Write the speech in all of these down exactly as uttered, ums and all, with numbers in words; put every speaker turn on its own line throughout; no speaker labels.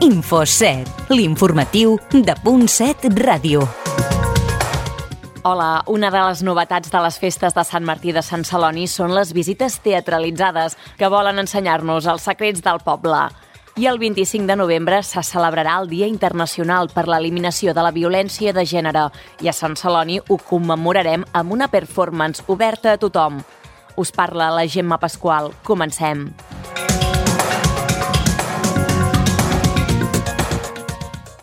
Infoset, l'informatiu de Punt set Ràdio.
Hola, una de les novetats de les festes de Sant Martí de Sant Celoni són les visites teatralitzades que volen ensenyar-nos els secrets del poble. I el vint-i-cinc de novembre se celebrarà el Dia Internacional per l'Eliminació de la Violència de Gènere i a Sant Celoni ho commemorarem amb una performance oberta a tothom. Us parla la Gemma Pasqual. Comencem.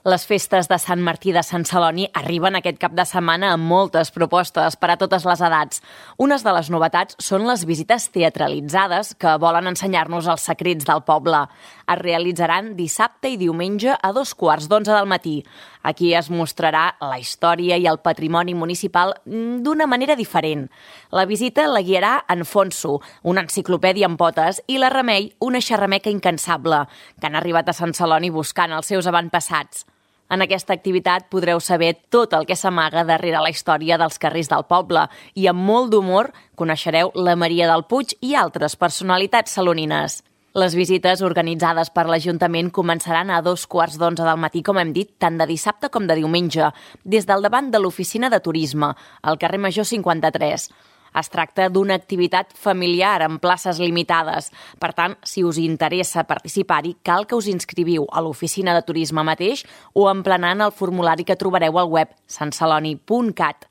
Les festes de Sant Martí de Sant Celoni arriben aquest cap de setmana amb moltes propostes per a totes les edats. Unes de les novetats són les visites teatralitzades que volen ensenyar-nos els secrets del poble. Es realitzaran dissabte i diumenge a dos quarts d'onze del matí. Aquí es mostrarà la història i el patrimoni municipal d'una manera diferent. La visita la guiarà en Fonso, una enciclopèdia amb potes, i la Remei, una xerrameca incansable, que han arribat a Sant Celoni buscant els seus avantpassats. En aquesta activitat podreu saber tot el que s'amaga darrere la història dels carrers del poble i amb molt d'humor coneixereu la Maria del Puig i altres personalitats salonines. Les visites organitzades per l'Ajuntament començaran a dos quarts d'onze del matí, com hem dit, tant de dissabte com de diumenge, des del davant de l'oficina de turisme, al carrer Major cinquanta-tres. Es tracta d'una activitat familiar amb places limitades. Per tant, si us interessa participar-hi, cal que us inscriviu a l'oficina de turisme mateix o emplenant el formulari que trobareu al web sant celoni punt cat.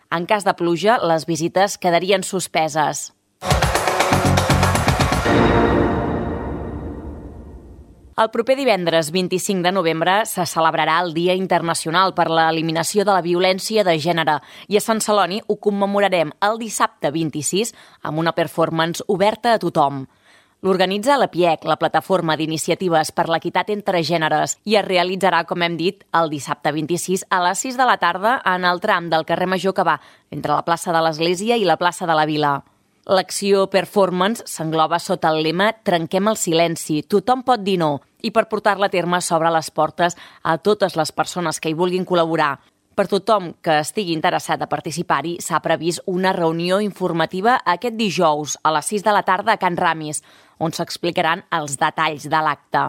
En cas de pluja, les visites quedarien suspeses. El proper divendres vint-i-cinc de novembre se celebrarà el Dia Internacional per l'Eliminació de la Violència de Gènere i a Sant Celoni ho commemorarem el dissabte vint-i-sis amb una performance oberta a tothom. L'organitza la P I E C, la Plataforma d'Iniciatives per l'Equitat entre Gèneres, i es realitzarà, com hem dit, el dissabte vint-i-sis a les sis de la tarda en el tram del carrer Major que va entre la plaça de l'Església i la plaça de la Vila. L'acció performance s'engloba sota el lema «Trenquem el silenci, tothom pot dir no», i per portar-la a terme s'obre les portes a totes les persones que hi vulguin col·laborar. Per tothom que estigui interessat a participar-hi, s'ha previst una reunió informativa aquest dijous a les sis de la tarda a Can Ramis, on s'explicaran els detalls de l'acte.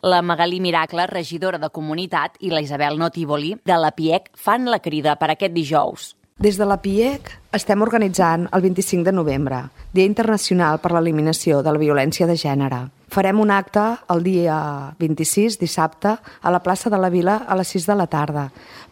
La Magalí Miracle, regidora de Comunitat, i la Isabel Notívoli, de la P I E C, fan la crida per aquest dijous.
Des de la P I E C estem organitzant el vint-i-cinc de novembre, Dia Internacional per l'Eliminació de la Violència de Gènere. Farem un acte el dia vint-i-sis, dissabte, a la plaça de la Vila a les sis de la tarda.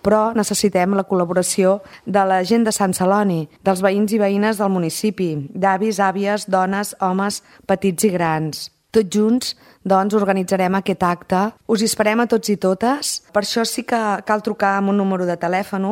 Però necessitem la col·laboració de la gent de Sant Celoni, dels veïns i veïnes del municipi, d'avis, àvies, dones, homes, petits i grans. Tots junts, doncs, organitzarem aquest acte. Us hi esperem a tots i totes. Per això sí que cal trucar amb un número de telèfon,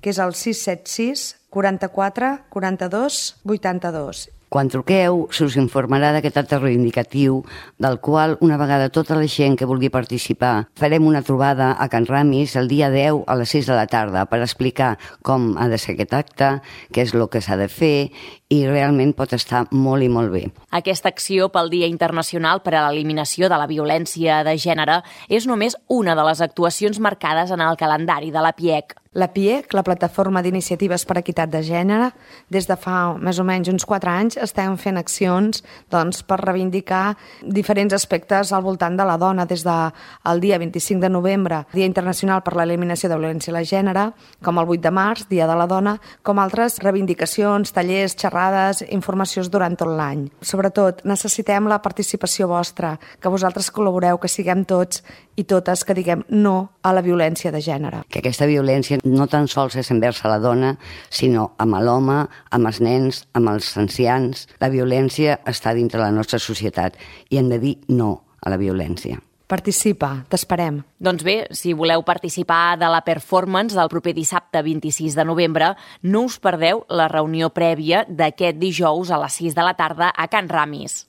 que és el sis set sis, quaranta-quatre, quaranta-dos, vuitanta-dos.
Quan truqueu, se us informarà d'aquest acte reivindicatiu, del qual, una vegada tota la gent que vulgui participar, farem una trobada a Can Ramis el dia deu a les sis de la tarda per explicar com ha de ser aquest acte, què és el que s'ha de fer, i realment pot estar molt i molt bé.
Aquesta acció pel Dia Internacional per a l'Eliminació de la Violència de Gènere és només una de les actuacions marcades en el calendari de la P I E C.
La P I E C, la Plataforma d'Iniciatives per Equitat de Gènere, des de fa més o menys uns quatre anys estem fent accions doncs, per reivindicar diferents aspectes al voltant de la dona, des del dia vint-i-cinc de novembre, Dia Internacional per l'Eliminació de la Violència de Gènere, com el vuit de març, Dia de la Dona, com altres reivindicacions, tallers, xerrades, informacions durant tot l'any. Sobretot, necessitem la participació vostra, que vosaltres col·laboreu, que siguem tots i totes que diguem no a la violència de gènere.
Que aquesta violència no tan sols és envers la dona, sinó amb l'home, amb els nens, amb els ancians. La violència està dintre la nostra societat i hem de dir no a la violència.
Participa, t'esperem.
Doncs bé, si voleu participar de la performance del proper dissabte vint-i-sis de novembre, no us perdeu la reunió prèvia d'aquest dijous a les sis de la tarda a Can Ramis.